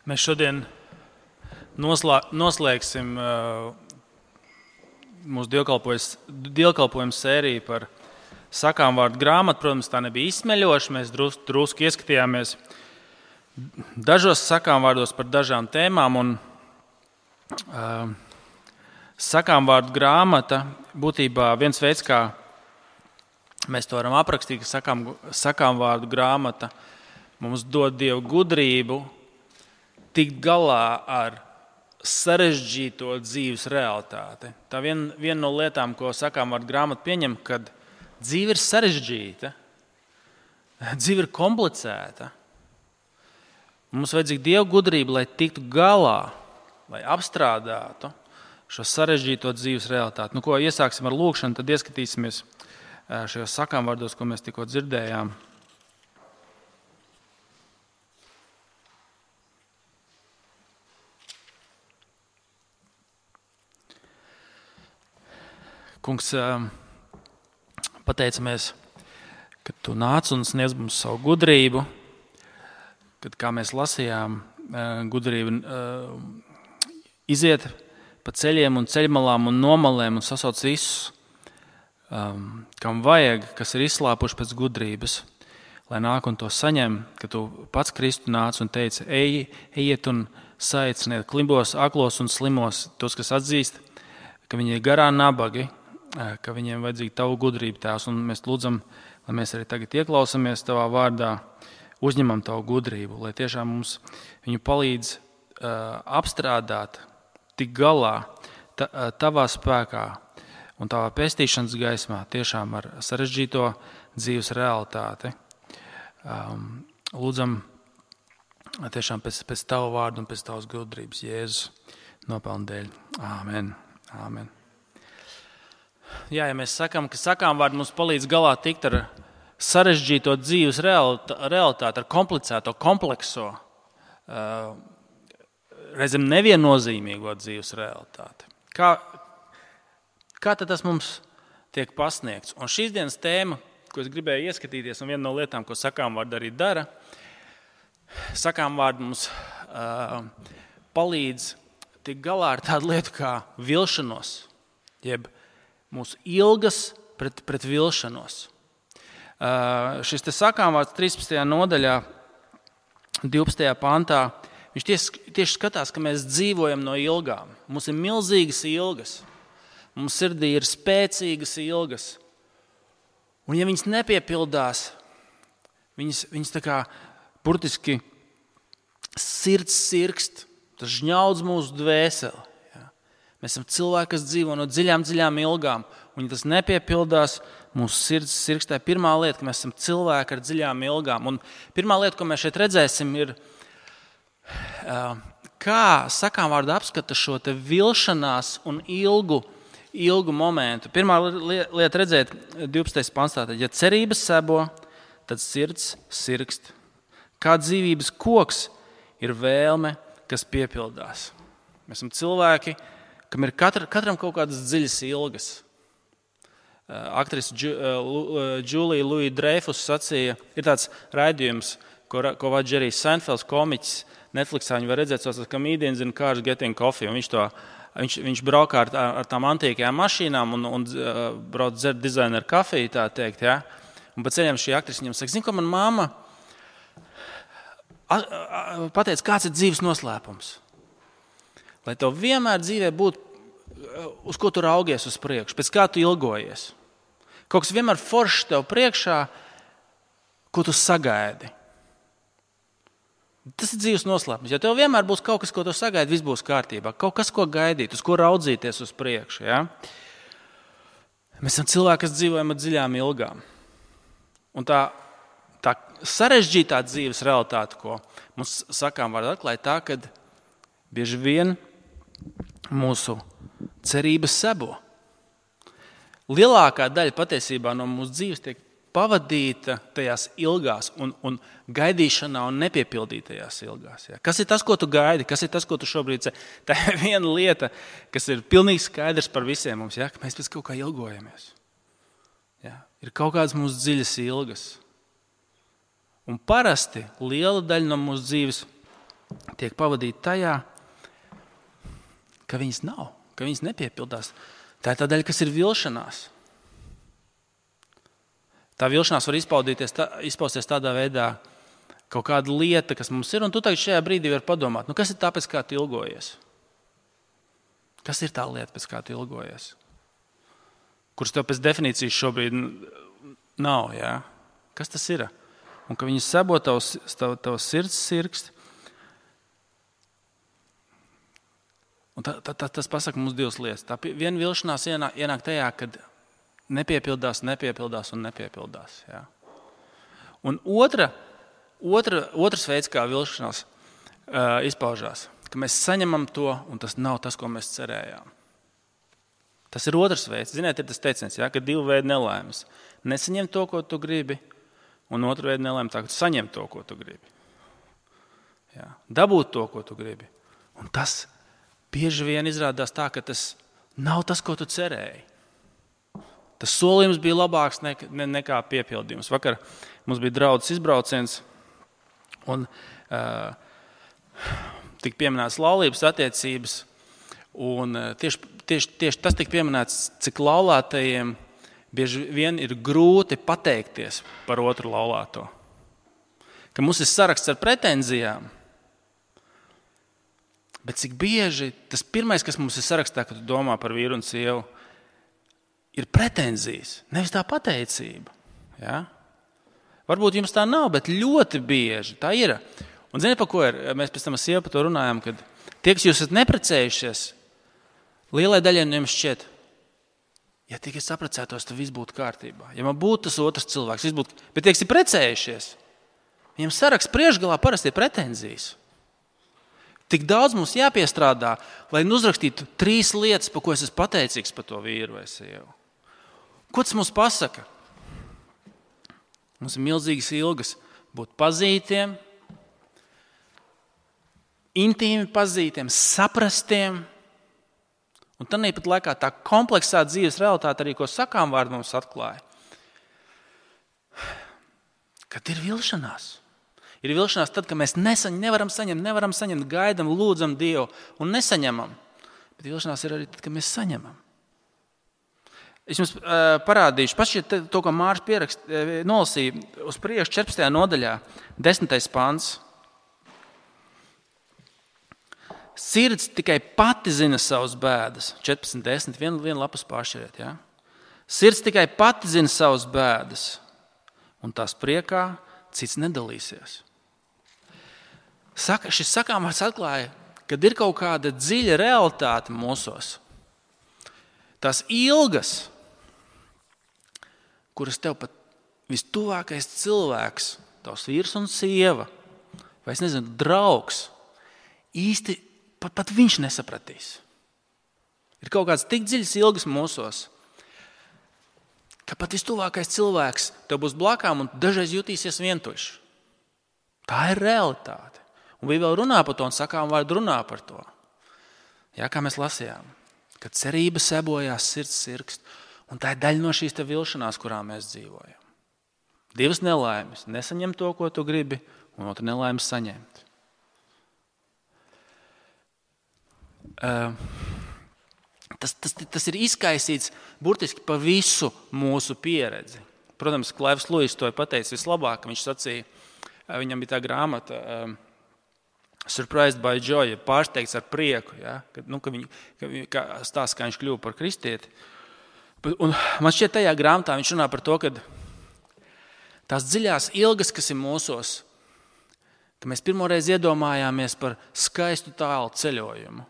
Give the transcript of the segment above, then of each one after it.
Mēs šodien noslēgsim mūsu dievkalpojumu sēriju par sakām vārdu grāmatu. Protams, tā nebija izsmeļoša. Mēs drusku ieskatījāmies dažos sakām vārdos par dažām tēmām. Un, sakām vārdu grāmata būtībā viens veids, kā mēs to varam aprakstīt, ka sakām vārdu grāmata mums dod Dievu gudrību tikt galā ar sarežģīto dzīves realitāti. Tā viena no lietām, ko sakām vārdu grāmata pieņem, kad dzīve ir sarežģīta, dzīve ir komplicēta. Mums vajadzīga Dieva gudrība, lai tiktu galā, lai apstrādātu šo sarežģīto dzīves realitāti. Ko iesāksim ar lūkšanu, tad ieskatīsimies šajos sakām vārdos, ko mēs tikko dzirdējām. Kungs, pateicamies, ka Tu nāc un sniedz mums savu gudrību, kad, kā mēs lasījām, gudrība iziet pa ceļiem un ceļmalām un nomalēm un sasauc visus, kam vajag, kas ir izslāpuši pēc gudrības, lai nāk un to saņem, ka Tu pats Kristu nāc un teici, ejiet un saiciniet klimbos, aklos un slimos, tos, kas atzīst, ka viņi ir garā nabagi, ka viņiem vajadzīga Tavu gudrību, Tēvs, un mēs lūdzam, lai mēs arī tagad ieklausāmies Tavā vārdā, uzņemam Tavu gudrību, lai tiešām mums viņu palīdz apstrādāt, tik galā Tavā spēkā un Tavā pestīšanas gaismā, tiešām ar sarežģīto dzīves realitāti. Lūdzam tiešām pēc Tava vārdu un pēc Tavas gudrības, Jēzus nopelnu dēļ. Āmen. Āmen. Jā, ja mēs sakām, ka sakām vārdi mums palīdz galā tikt ar sarežģīto dzīves realitāti, ar komplicēto, komplekso, reizēm neviennozīmīgo dzīves realitāti. Kā tad tas mums tiek pasniegts? Un šīs dienas tēma, ko es gribēju ieskatīties, un viena no lietām, ko sakām vārdi arī dara, sakām vārdi mums palīdz tikt galā ar tādu lietu kā vilšanos, jeb mūsu ilgas pret vilšanos. Šis te sakām vārds 13. nodaļā, 12. pantā, viņš tieši skatās, ka mēs dzīvojam no ilgām. Mums ir milzīgas ilgas, mums sirdī ir spēcīgas ilgas. Un ja viņas nepiepildās, viņas tā kā burtiski sirds sirkst, tas žņaudz mūsu dvēseli. Mēs esam cilvēki, kas dzīvo no dziļām ilgām, un ja tas nepiepildās, mūsu sirds sirkstē. Pirmā lieta, ka mēs esam cilvēki ar dziļām ilgām. Un pirmā lieta, ko mēs šeit redzēsim, ir, kā sakām vārdu apskata šo te vilšanās un ilgu momentu. Pirmā lieta redzēt 12. pantā, tad, ja cerības sebo, tad sirds sirkst. Kā dzīvības koks ir vēlme, kas piepildās. Mēs esam cilvēki, kam ir katram kaut kādas dziļas ilgas. Aktrise Džulija Luija Dreifus sacīja, ir tāds raidījums, ko vada Džerijs Seinfelds, komiķis, Netflixā viņi var redzēt, saucas Comedians in Cars Getting Coffee, un viņš braukā ar tām antīkajām mašīnām un brauc dzert dizaineru kafiju, tā teikt, ja? Un pa ceļam šī aktrise viņam saka, ko man mamma pateica, kāds ir dzīves noslēpums? Lai tev vienmēr dzīvē būtu, uz ko tu raugies uz priekšu, pēc kā tu ilgojies. Kaut kas vienmēr foršs tev priekšā, ko tu sagaidi. Tas ir dzīves noslēpums. Ja tev vienmēr būs kaut kas, ko tu sagaidi, viss būs kārtībā. Kaut kas, ko gaidīt, uz ko raudzīties uz priekšu. Ja? Mēs esam cilvēki, kas dzīvojam ar dziļām ilgām. Un tā sarežģītā dzīves realitāte, ko mums sakām vārdu atklāja, tā, kad bieži vien mūsu cerības sebo. Lielākā daļa patiesībā no mūsu dzīves tiek pavadīta tajās ilgās un gaidīšanā un nepiepildītajās ilgās. Ja? Kas ir tas, ko tu gaidi? Kas ir tas, ko tu šobrīd ceri? Tā ir viena lieta, kas ir pilnīgi skaidrs par visiem mums, ja? Ka mēs pēc kaut kā ilgojamies. Ja? Ir kaut kādas mūsu dziļas ilgas. Un parasti liela daļa no mūsu dzīves tiek pavadīta tajā, ka viņas nav, ka viņas nepiepildās. Tā ir tā daļa, kas ir vilšanās. Tā vilšanās var izpausties tādā veidā, kaut kāda lieta, kas mums ir, un tu tagad šajā brīdī vari padomāt, kas ir tā, pēc kā tu ilgojies? Kas ir tā lieta, pēc kā tu ilgojies? Kuras tev pēc definīcijas šobrīd nav, jā? Kas tas ir? Un ka viņi sabo tavs sirds sirksti. Un tas pasaka mums divas lietas. Tā viena vilšanās ienāk tajā, kad nepiepildās. Jā. Un otrs veids, kā vilšanās izpaužās, ka mēs saņemam to, un tas nav tas, ko mēs cerējām. Tas ir otrs veids. Ziniet, ir tas teiciens, ka divu veidu nelaimes. Nesaņem to, ko tu gribi, un otru veidu nelaimes tā, ka tu saņem to, ko tu gribi. Jā. Dabūt to, ko tu gribi. Un tas bieži vien izrādās tā, ka tas nav tas, ko tu cerēji. Tas solījums bija labāks nekā piepildījums. Vakar mums bija draudzes izbrauciens, un tika pieminētas laulības attiecības, un tieši tas tika pieminēts, cik laulātajiem bieži vien ir grūti pateikties par otru laulāto. Ka mums ir saraksts ar pretenzijām, bet cik bieži tas pirmais, kas mums ir sarakstā, kad tu domā par vīru un sievu, ir pretenzijas, nevis tā pateicība. Ja? Varbūt jums tā nav, bet ļoti bieži tā ir. Un zini, pa ko ir? Mēs pēc tam ar sievu par to runājam, kad tie, kas jūs esat neprecējušies, lielai daļai no jums šķiet, ja tikai saprecētos, tad viss būtu kārtībā. Ja man būtu tas otrs cilvēks, viss būtu. Bet tie, kas ir precējušies, viņiem saraksts priekšgalā parasti ir pretenzijas. Tik daudz mums jāpiestrādā, lai uzrakstītu 3 lietas, par ko es esmu pateicīgs par to vīru vai sievu. Ko tas mums pasaka? Mums ir milzīgas ilgas būt pazītiem, intīmi pazītiem, saprastiem. Un tad pat laikā tā kompleksā dzīves realitāte arī, ko sakām vārdi mums atklāja. Kad ir vilšanās. Ir vilšanās tad, kad mēs nevaram saņemt, gaidam, lūdzam Dievu un nesaņemam. Bet vilšanās ir arī tad, kad mēs saņemam. Es jums parādīšu, pašķiet to, ko Māris nolasīja uz priekšu 14. nodaļā, 10. pants. Sirds tikai pati zina savas bēdas. 14.10. Vienu lapus pāršķiriet. Ja? Sirds tikai pati zina savas bēdas. Un tās priekā cits nedalīsies. Šis sakāmvārds atklāja, kad ir kaut kāda dziļa realitāte mūsos. Tās ilgas, kuras tev pat vistuvākais cilvēks, tavs vīrs un sieva, vai es nezinu, draugs, īsti pat viņš nesapratīs. Ir kaut kāds tik dziļas ilgas mūsos, ka pat vistuvākais cilvēks tev būs blakām un dažreiz jutīsies vientuļš. Tā ir realitāte. Un Bībele runā par to un sakām vārdu runā par to. Jā, kā mēs lasījām, kad cerība sebojās, sirds sirkst, un tā ir daļa no šīs te vilšanās, kurā mēs dzīvojam. 2 nelaimes. Nesaņem to, ko tu gribi, un otru nelaimes saņemt. Tas ir izkaisīts burtiski pa visu mūsu pieredzi. Protams, Klaivs Luis to ir pateicis vislabāk. Viņš sacīja, viņam bija tā grāmata Surprised by Joy, pārsteigts ar prieku, ja? Ka stāsta, kā viņš kļuva par kristieti. Un man šķiet, tajā grāmatā viņš runā par to, ka tās dziļās ilgas, kas ir mūsos, ka mēs pirmoreiz iedomājāmies par skaistu tālu ceļojumu.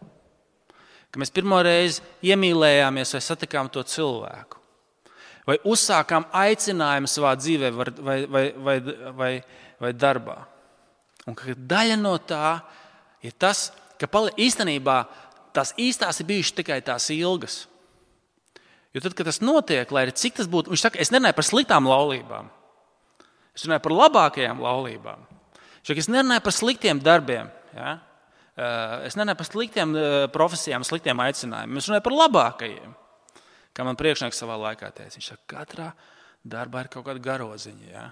Ka mēs pirmoreiz iemīlējāmies vai satikām to cilvēku. Vai uzsākām aicinājumu savā dzīvē vai darbā. Un ka daļa no tā ir tas, ka īstenībā tās īstās ir bijušas tikai tās ilgas. Jo tad, kad tas notiek, lai arī cik tas būtu, viņš saka, es nerunāju par sliktām laulībām. Es runāju par labākajām laulībām. Viņš saka, es nerunāju par sliktiem darbiem. Ja? Es nerunāju par sliktiem profesijām, sliktiem aicinājumiem. Es runāju par labākajiem. Kā man priekšnieks savā laikā teica. Viņš saka, katrā darbā ir kaut kāda garoziņa. Ja?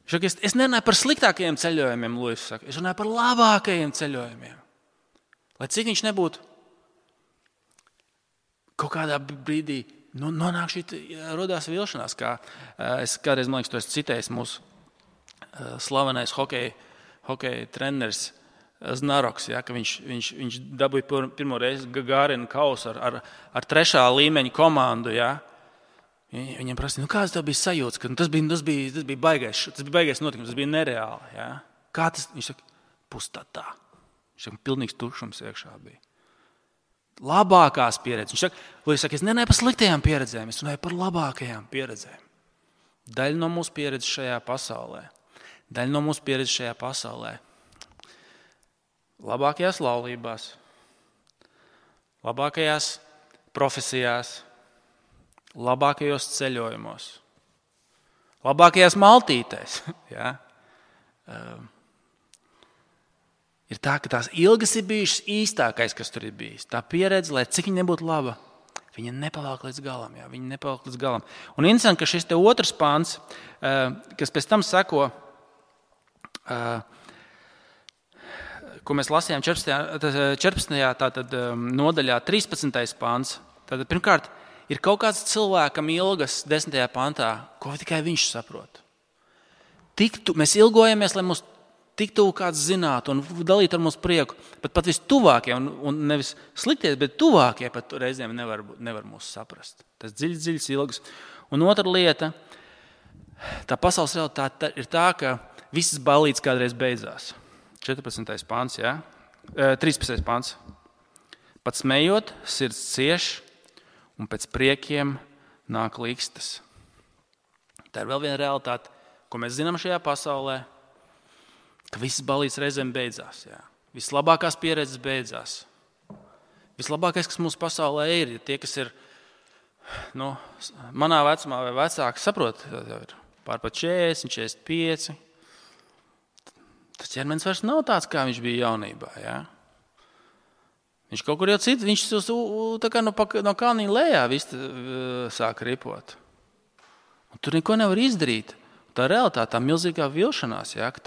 Viņš saka, es nerunāju par sliktākajiem ceļojumiem, Luis saka. Es runāju par labākajiem ceļojumiem. Lai cik viņš nebūtu kaut kādā brīdī nonāk rodās vilšanās. Kā es kādreiz, man liekas, to esmu citējis mūsu slavenais hokeja treneris Znaroks, ja, ka viņš dabūja pirmo reizi Gagarin kausu ar 3. līmeņa komandu. Ja. Viņam prasīja, kāds tev bija sajūts, ka tas bija baigais notikums, tas bija nereāli. Ja. Kā tas? Viņš saka, pustatā. Viņš saka, pilnīgs tukšums iekšā bija. Labākās pieredzes. Viņš saka, es nenāju par sliktajām pieredzēm, es runāju par labākajām pieredzēm. Daļa no mūsu pieredzes šajā pasaulē. Labākajās laulībās, labākajās profesijās, labākajos ceļojumos, labākajās maltītēs. Ja? Ir tā, ka tās ilgas ir bijušas īstākais, kas tur ir bijis. Tā pieredze, lai cik viņa nebūtu laba, viņa nepaliek līdz galam. Ja? Viņa nepaliek līdz galam. Un interesanti, ka šis te 2. pants, kas pēc tam seko, ko mēs lasījām 14. Nodaļā, 13. pants. Tātad, pirmkārt, ir kaut kāds cilvēkam ilgas 10. pantā, ko tikai viņš saprot. Mēs ilgojamies, lai mūs tik tuvu kāds zinātu un dalītu ar mūsu prieku, bet pat vistuvākie, un nevis sliktie, bet tuvākie pat reizēm nevar mūs saprast. Tas dziļas ilgas. Un otra lieta, tā pasaules realitāte ir tā, ka visas ballītes kādreiz beidzās. 14. pants, ja? 13. pants. Pat smējot, sirds cieš, un pēc priekiem nāk līkstas. Tā ir vēl viena realitāte, ko mēs zinām šajā pasaulē, ka visas ballītes reizēm beidzās. Ja? Vislabākās pieredzes beidzās. Vislabākais, kas mūsu pasaulē ir tie, kas ir manā vecumā vai vecāki, saprot, ir pārpat 40, 45. Tas ķermenis vairs nav tāds, kā viņš bija jaunībā. Ja? Viņš kaut kur jau cits, viņš tā kā no kalniņa lejā sāk ripot. Un tur neko nevar izdarīt. Tā realitāte, tā milzīgā vilšanās, ja, ka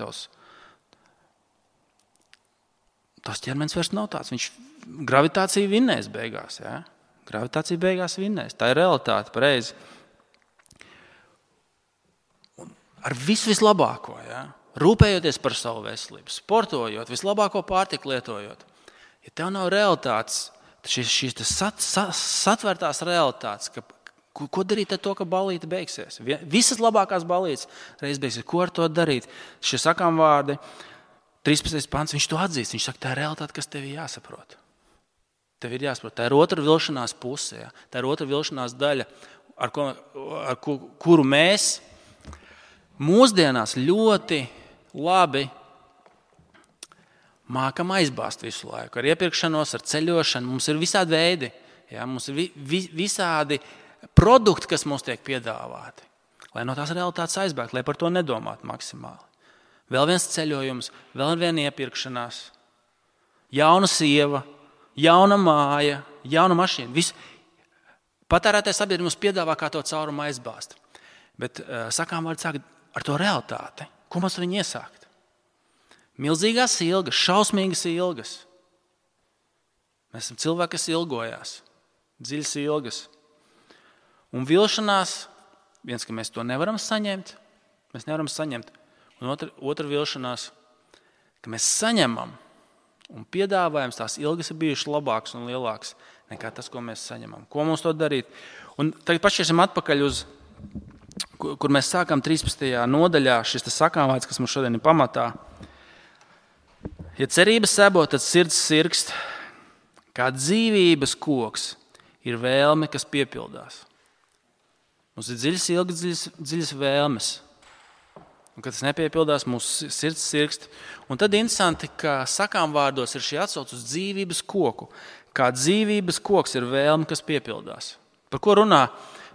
tas ķermenis vairs nav tāds. Gravitācija vinnēs beigās. Ja? Gravitācija beigās vinnēs. Tā ir realitāte, pareizi. Un ar vislabāko, ja? Rūpējoties par savu veselību, sportojot, vislabāko pārtiku lietojot. Ja tev nav realitātes, šīs satvērtās realitātes, ko darīt ar to, ka ballīte beigsies? Visas labākās ballītes reiz beigsies. Ko ar to darīt? Šie sakām vārdi, 13. pants, viņš to atzīst. Viņš saka, tā ir realitāte, kas tev ir jāsaprot. Tev ir jāsaprot. Tā ir otra vilšanās puse. Ja? Tā ir otra vilšanās daļa, ar kuru mēs mūsdienās ļoti labi mākam aizbāzt visu laiku. Ar iepirkšanos, ar ceļošanu. Mums ir visādi veidi. Ja? Mums ir visādi produkti, kas mums tiek piedāvāti. Lai no tās realitātes aizbēgt, lai par to nedomātu maksimāli. Vēl viens ceļojums, vēl viena iepirkšanās. Jauna sieva, jauna māja, jauna mašīna. Patērētājs sabiedrība mums piedāvā, kā to caurumu aizbāzt. Bet sakām vārds sāk ar to realitāti. Ko mums viņi iesākt? Milzīgās ilgas, šausmīgas ilgas. Mēs esam cilvēki, kas ilgojās. Dziļas ilgas. Un vilšanās, viens, ka mēs to nevaram saņemt. Un otra vilšanās, ka mēs saņemam un piedāvājam, tās ilgas ir bijušas labākas un lielākas nekā tas, ko mēs saņemam. Ko mums to darīt? Un tagad pašķiesim atpakaļ uz kur mēs sākam 13. nodaļā, šis sakāmvārds, kas mums šodien ir pamatā. Ja cerības sebo, tad sirds sirkst, kā dzīvības koks ir vēlme, kas piepildās. Mums ir dziļas ilgas, dziļas vēlmes. Un, kad tas nepiepildās, mūsu sirds sirkst. Un tad interesanti, ka sakāmvārdos ir šī atsauce uz dzīvības koku. Kā dzīvības koks ir vēlme, kas piepildās. Par ko runā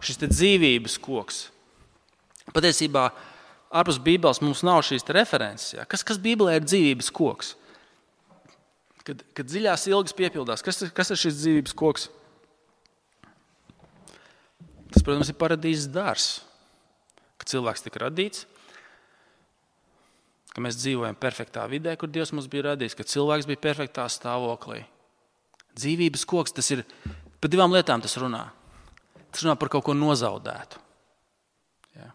šis te dzīvības koks? Patiesībā ārpus Bībeles mums nav šīs references. Ja? Kas Bībelē ir dzīvības koks? Kad dziļās ilgas piepildās, kas ir šis dzīvības koks? Tas, protams, ir paradīzes dārzs. Kad cilvēks tika radīts, ka mēs dzīvojam perfektā vidē, kur Dievs mums bija radījis, ka cilvēks bija perfektā stāvoklī. Dzīvības koks, tas ir, par divām lietām tas runā. Tas runā par kaut ko nozaudētu. Ja?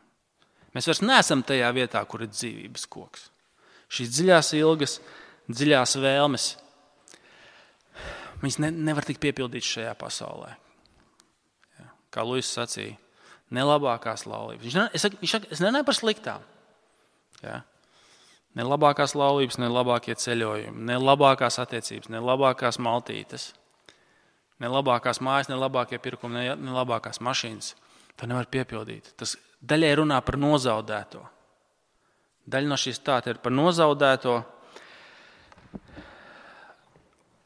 Mēs vairs neesam tajā vietā, kur ir dzīvības koks. Šīs dziļās ilgas, dziļās vēlmes, viņas nevar tikt piepildītas šajā pasaulē. Ja? Kā Luis sacīja, ne labākās laulības. Es nenāju par sliktām. Ja? Ne labākās laulības, ne labākie ceļojumi, ne labākās attiecības, ne labākās maltītes, ne labākās mājas, ne labākie pirkumi, ne labākās mašīnas. To nevar piepildīt. Tas daļai runā par nozaudēto. Daļa no šīs stāta ir par nozaudēto.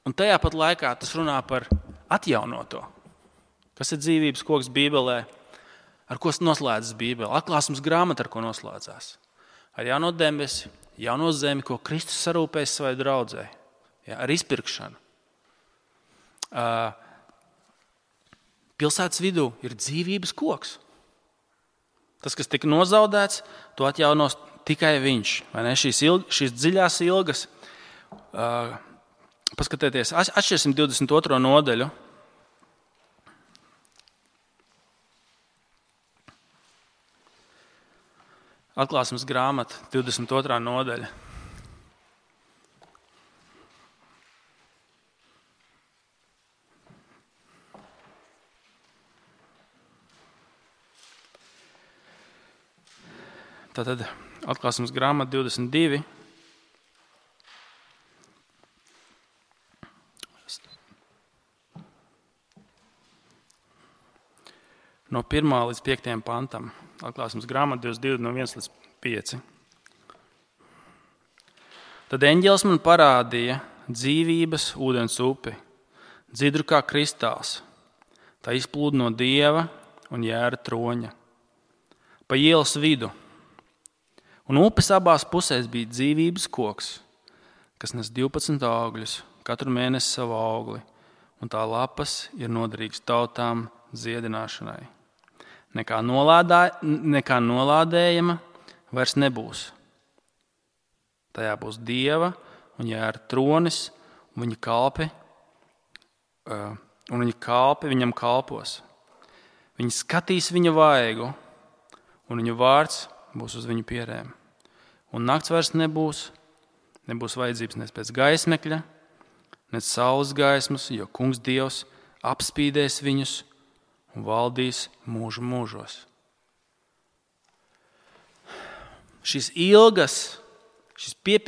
Un tajā pat laikā tas runā par atjaunoto. Kas ir dzīvības koks Bībelē? Ar ko noslēdzas Bībele? Atklāsmes grāmata, ar ko noslēdzās? Ar jauno debesi, jauno zemi, ko Kristus sarūpēs savai draudzei. Ja, ar izpirkšanu. Pilsētas vidū ir dzīvības koks. Tas, kas tika nozaudēts, to atjaunos tikai viņš. Vai ne? Šīs dziļās ilgas. Paskatieties, atšķirsim 22. nodaļu. Atklāsmes grāmata, 22. nodaļa. Tātad atklāsmes grāmata 22. No 1. līdz 5. pantam. Atklāsmes grāmata 22 no 1 līdz 5. Tad eņģelis man parādīja dzīvības ūdens upi, dzidru kā kristāls. Tā izplūda no Dieva un Jēra troņa. Pa ielas vidu. Un upes abās pusēs bija dzīvības koks, kas nes 12 augļus, katru mēnesi savu augli, un tā lapas ir noderīgas tautām dziedināšanai. Nekā nolādējama vairs nebūs. Tajā būs Dieva un Jēra tronis, un viņa kalpi viņam kalpos. Viņi skatīs viņa vaigu, un viņa vārds būs uz viņu pierēm. Un nakts vairs nebūs vajadzības ne pēc gaismekļa, ne saules gaismas, jo Kungs Dievs apspīdēs viņus un valdīs mūžu mūžos. Šīs ilgas ir,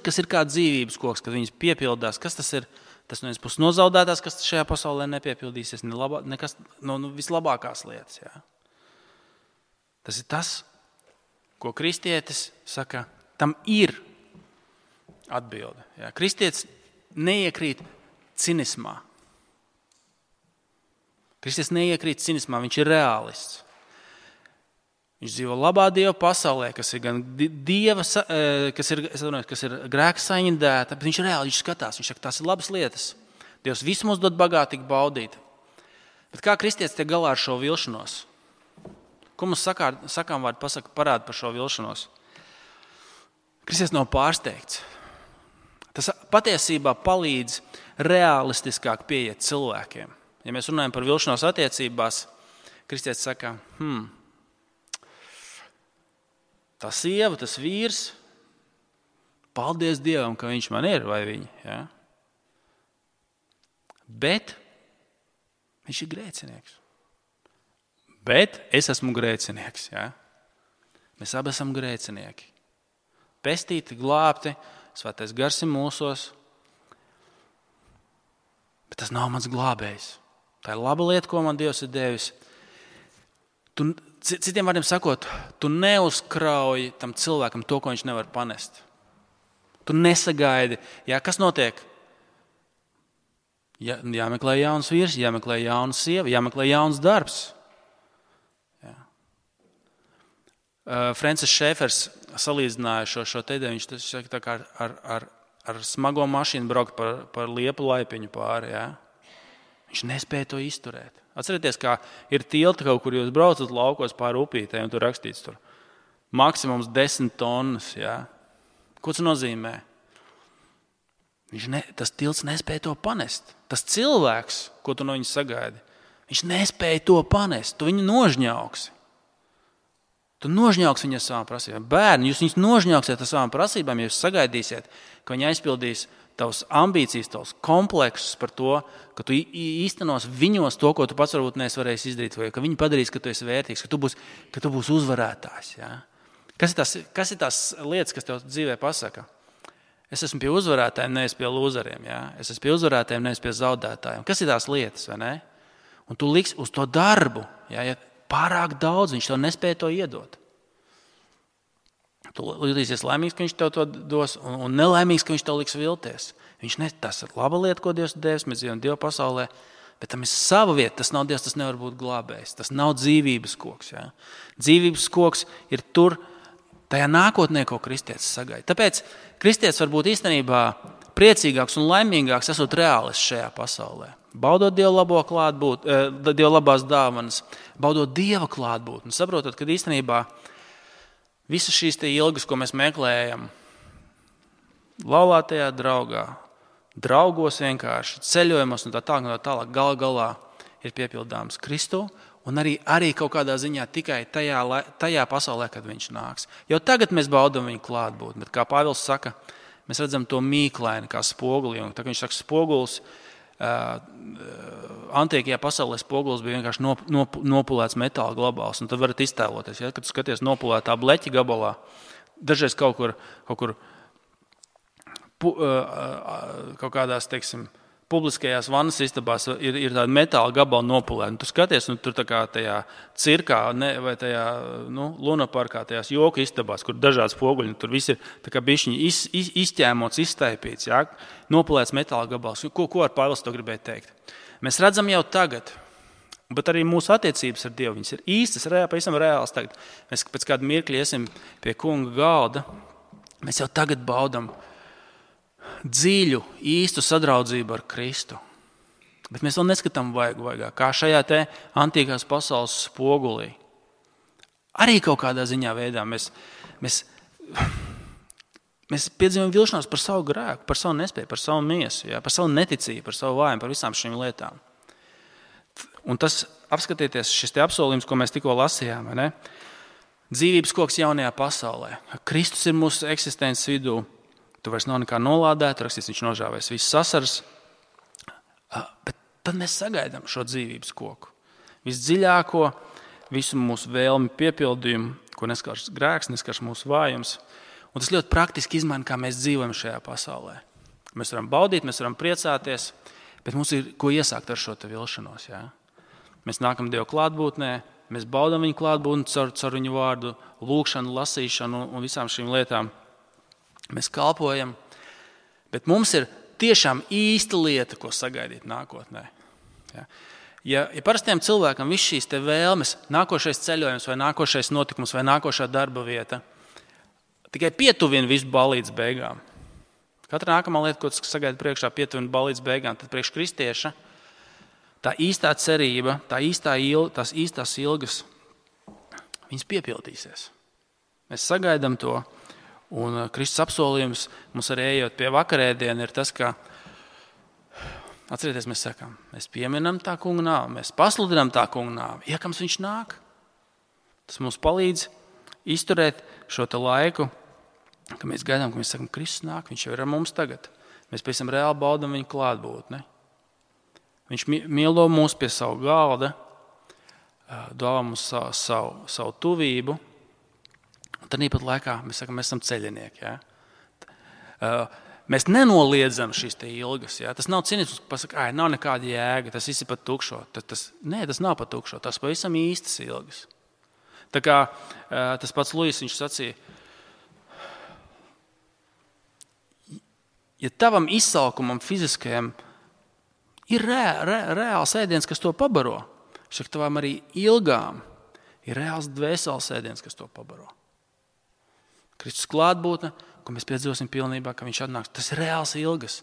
kas ir kā dzīvības koks, kad viņas piepildās. Kas tas ir? Tas no vienas puses nozaudētās, kas šajā pasaulē nepiepildīsies, nekas no vislabākās lietas. Jā. Tas ir tas, ko kristietis saka, tam ir atbilde. Jā. Kristietis neiekrīt cinismā. Kristietis neiekrīt cinismā, viņš ir reālists. Viņš dzīvo labā Dieva pasaulē, kas ir gan Dieva, kas ir grēka saindēta, bet viņš ir reāli, viņš skatās, viņš saka, tās ir labas lietas. Dievs visu mums dod bagātīgi baudīt. Bet kā kristietis tiek galā ar šo vilšanos? Ko mums sakām vārdi parāda par šo vilšanos? Kristietis nav pārsteigts. Tas patiesībā palīdz realistiskāk pieiet cilvēkiem. Ja mēs runājam par vilšanos attiecībās, kristietis saka, tā sieva, tas vīrs, paldies Dievam, ka viņš man ir, vai viņa. Ja? Bet viņš ir grēcinieks. Bet es esmu grēcinieks. Ja? Mēs abi esam grēcinieki. Pestīti, glābti, svētais gars ir mūsos. Bet tas nav mans glābējs. Tā ir laba lieta, ko man Dievs ir devis. Citiem vārdiem sakot, tu neuzkrauj tam cilvēkam to, ko viņš nevar panest. Tu nesagaidi. Jā, kas notiek? Jāmeklē jauns vīrs, jāmeklē jauna sieva, jāmeklē jauns darbs. Jā. Francis Šēfers salīdzināja šo tēdē, viņš saka, tā kā ar smago mašīnu braukt par liepu laipiņu pāri. Jā. Viņš nespēja to izturēt. Atcerieties, kā ir tilti kaut kur jūs braucat laukos pāri upītē un tur rakstīts tur maksimums 10 tonnas. Jā. Ko tas nozīmē? Tas tilts nespēja to panest. Tas cilvēks, ko tu no viņa sagaidi, viņš nespēja to panest. Tu viņu nožņauksi. Tu nožņauksi viņu ar savām prasībām. Bērni, jūs viņus nožņauksiet ar savām prasībām, ja jūs sagaidīsiet, ka viņi aizpildīs tavas ambīcijas, tavas kompleksus par to, ka tu īstenos viņos to, ko tu pats varbūt neesi varējis izdarīt, vai ka viņi padarīs, ka tu esi vērtīgs, ka tu būsi uzvarētājs. Ja? Kas ir tās lietas, kas tev dzīvē pasaka? Es esmu pie uzvarētājiem, nevis pie lūzeriem. Ja? Es esmu pie uzvarētājiem, nevis pie zaudētājiem. Kas ir tās lietas, vai ne? Un tu liksi uz to darbu, ja pārāk daudz, viņš tev nespēja to iedot. Tu jutīsies laimīgs, ka viņš tev to dos, un nelaimīgs, ka viņš tev liks vilties. Tas ir laba lieta, ko Dievs devis, mēs dzīvojam Dieva pasaulē, bet tam ir sava vieta, tas nav Dievs, tas nevar būt glābējs, tas nav dzīvības koks. Ja? Dzīvības koks ir tur, tajā nākotnē, ko kristietis sagaida. Tāpēc kristietis var būt īstenībā priecīgāks un laimīgāks, esot reālists šajā pasaulē. Baudot Dieva labo klātbūtni, Dieva labās dāvanas, baudot Dieva klātbūtni, saprotot, ka īstenībā visas šīs ilgas, ko mēs meklējam, laulātajā draugā, draugos vienkārši, ceļojumos un tā tālāk, galā ir piepildāms Kristu un arī kaut kādā ziņā tikai tajā pasaulē, kad viņš nāks. Jau tagad mēs baudam viņu klātbūtni, bet kā Pāvils saka, mēs redzam to mīklaini kā spoguli, un tā kā viņš saka spogulis, antīkajā pasaulē spogulis bija vienkārši nopulēts metāla glabals, un tad varat iztēloties, ja, kad tu skaties nopulētā bleķa gabalā, dažreiz kaut kādās, teiksim, publiskajās vannas istabās ir tāda metāla gabala nopulēta, un tu skaties, un tur tā kā tajā cirkā vai tajā lunaparkā, tajās joku istabās, kur dažādi spoguļi, tur viss ir tā kā bišķiņi izķēmots, izstaipīts, ja, nopulēts metāla gabals. Ko ar Pāvils to gribēja teikt? Mēs redzam jau tagad, bet arī mūsu attiecības ar Dievu, viņas ir īstas, pavisam reāls tagad. Mēs pēc kāda mirkļa iesim pie kunga galda, mēs jau tagad baudam dziļu, īstu sadraudzību ar Kristu. Bet mēs vēl neskatām vaigā, kā šajā te antīkās pasaules spogulī. Arī kaut kādā ziņā veidā mēs piedzīvojam vilšanos par savu grēku, par savu nespēju, par savu miesu, ja, par savu neticību, par savu vājumu, par visām šīm lietām. Un tas, apskatieties, šis te apsolījums, ko mēs tikko lasījām, ne? Dzīvības koks jaunajā pasaulē. Kristus ir mūsu eksistences vidū. Tu vairs nav nekā nolādēt, rakstīts, viņš nožāvēs visas sasaras. Bet tad mēs sagaidām šo dzīvības koku. Visdziļāko, visu mūsu vēlmi piepildījumu, ko neskars grēks, neskars mūsu vājums. Un tas ļoti praktiski izmaina, kā mēs dzīvojam šajā pasaulē. Mēs varam baudīt, mēs varam priecāties, bet mums ir ko iesākt ar šo te vilšanos. Ja? Mēs nākam Dievu klātbūtnē, mēs baudam viņu klātbūtni caur viņu vārdu, lūgšanu, lasīšanu un visām šīm lietām. Mēs kalpojam, bet mums ir tiešām īsta lieta, ko sagaidīt nākotnē. Ja parastiem cilvēkam viss šīs te vēlmes, nākošais ceļojums vai nākošais notikums vai nākošā darba vieta, tikai pietuvina visu balīdz beigām. Katra nākamā lieta, ko sagaida priekšā, pietuvina balīdz beigām, tad priekš kristieša tā īstā cerība, tās īstās ilgas, viņas piepildīsies. Mēs sagaidām to. Un Kristus apsolījums mums arī ejot pie vakarēdiena ir tas, ka, atcerieties, mēs sakām, mēs pieminam tā kunga nāvi, mēs pasludinām tā kunga nāvi, iekams viņš nāk. Tas mums palīdz izturēt šo te laiku, ka mēs gaidām, ka mēs sakam, Kristus nāk, viņš jau ir ar mums tagad. Mēs pēc tam reāli baudam viņu klātbūtni. Viņš mīlo mūs pie savu galda, dāvā mums savu tuvību. Tad īpat laikā mēs sakam, mēs esam ceļinieki. Ja? Mēs nenoliedzam šīs te ilgas. Ja? Tas nav cinisms, ka pasaka, nav nekāda jēga, tas viss ir pat tukšo. Nē, tas nav pat tukšo, tas pavisam īstas ilgas. Tā kā tas pats Luis, viņš sacīja, ja tavam izsalkumam fiziskajam ir reāls ēdiens, kas to pabaro, šak tavam arī ilgām ir reāls dvēseles ēdiens, kas to pabaro. Kristus klātbūtne, ko mēs piedzīvosim pilnībā, ka viņš atnāks. Tas ir reāls ilgas.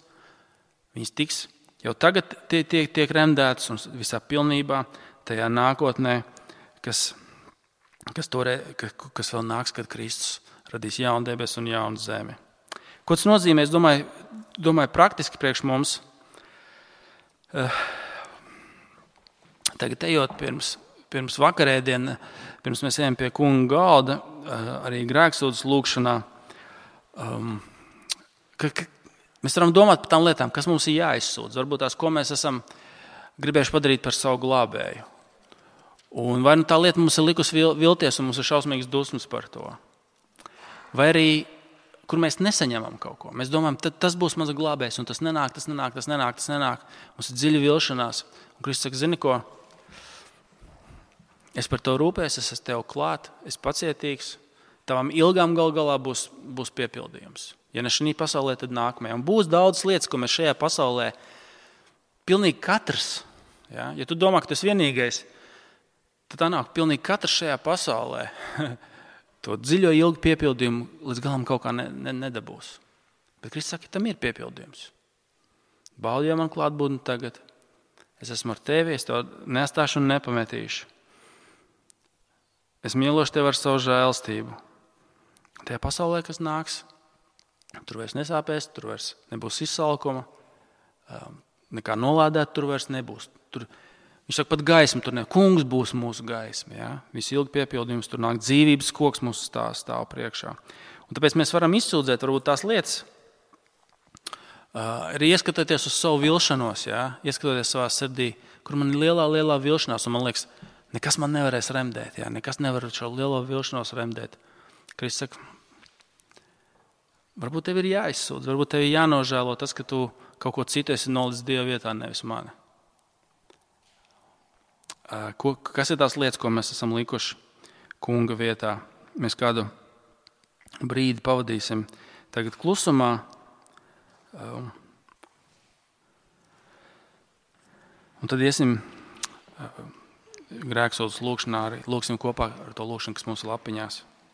Viņas tiks jau tagad tiek remdētas un visā pilnībā tajā nākotnē, kas vēl nāks, kad Kristus radīs jaunu debesu un jaunu zemi. Ko tas nozīmē? Es domāju praktiski priekš mums. Tagad ejot pirms vakarēdiena, pirms mēs ejam pie kunga galda, arī grēksūdzes lūgšanā, mēs varam domāt par tām lietām, kas mums ir jāizsūdz. Varbūt tās, ko mēs esam gribējuši padarīt par savu glābēju. Un vai tā lieta mums ir likusi vilties un mums ir šausmīgas dusmas par to. Vai arī, kur mēs nesaņemam kaut ko. Mēs domājam, tas būs mans glābējs, un tas nenāk. Mums ir dziļa vilšanās. Un Kristus saka, zini ko? Es par to rūpēs, es esmu tev klāt, es pacietīgs. Tavam ilgām galā būs piepildījums. Ja ne šī pasaulē, tad nākamajā. Un būs daudz lietas, ko mēs šajā pasaulē, pilnīgi katrs, ja tu domā, ka tu esi vienīgais, tad tā nāk, pilnīgi katrs šajā pasaulē to dziļo ilgu piepildījumu līdz galam kaut kā nedabūs. Bet Kristus saka, tam ir piepildījums. Baudi jau man klātbūtni tagad. Es esmu ar tevi, es tev neatstāšu un nepametīšu. Es mīlošu tevi ar savu žēlstību. Tajā pasaulē, kas nāks, tur vairs nesāpēs, tur vairs nebūs izsalkuma, nekā nolādēt tur vairs nebūs. Viņš saka, pat gaisma tur ne. Kungs būs mūsu gaisma. Ja? Viss ilgi piepildījums, tur nāk dzīvības koks mūsu stāv priekšā. Un tāpēc mēs varam izsūdzēt varbūt tās lietas, arī ieskatoties uz savu vilšanos, ja? Ieskatoties savā sirdī, kur man ir lielā vilšanās, un man liekas, nekas man nevarēs remdēt, ja? Nekas nevar šo lielo vilšanos remdēt. Kristus saka, varbūt tev ir jāizsūdz, varbūt tev ir jānožēlo tas, ka tu kaut ko citu esi nolicis Dieva vietā, nevis mani. Kas ir tās lietas, ko mēs esam likuši kunga vietā? Mēs kādu brīdi pavadīsim tagad klusumā. Un tad iesim grēksūdzes lūgšanā, arī lūgsim kopā ar to lūgšanu, kas mums ir lapiņās.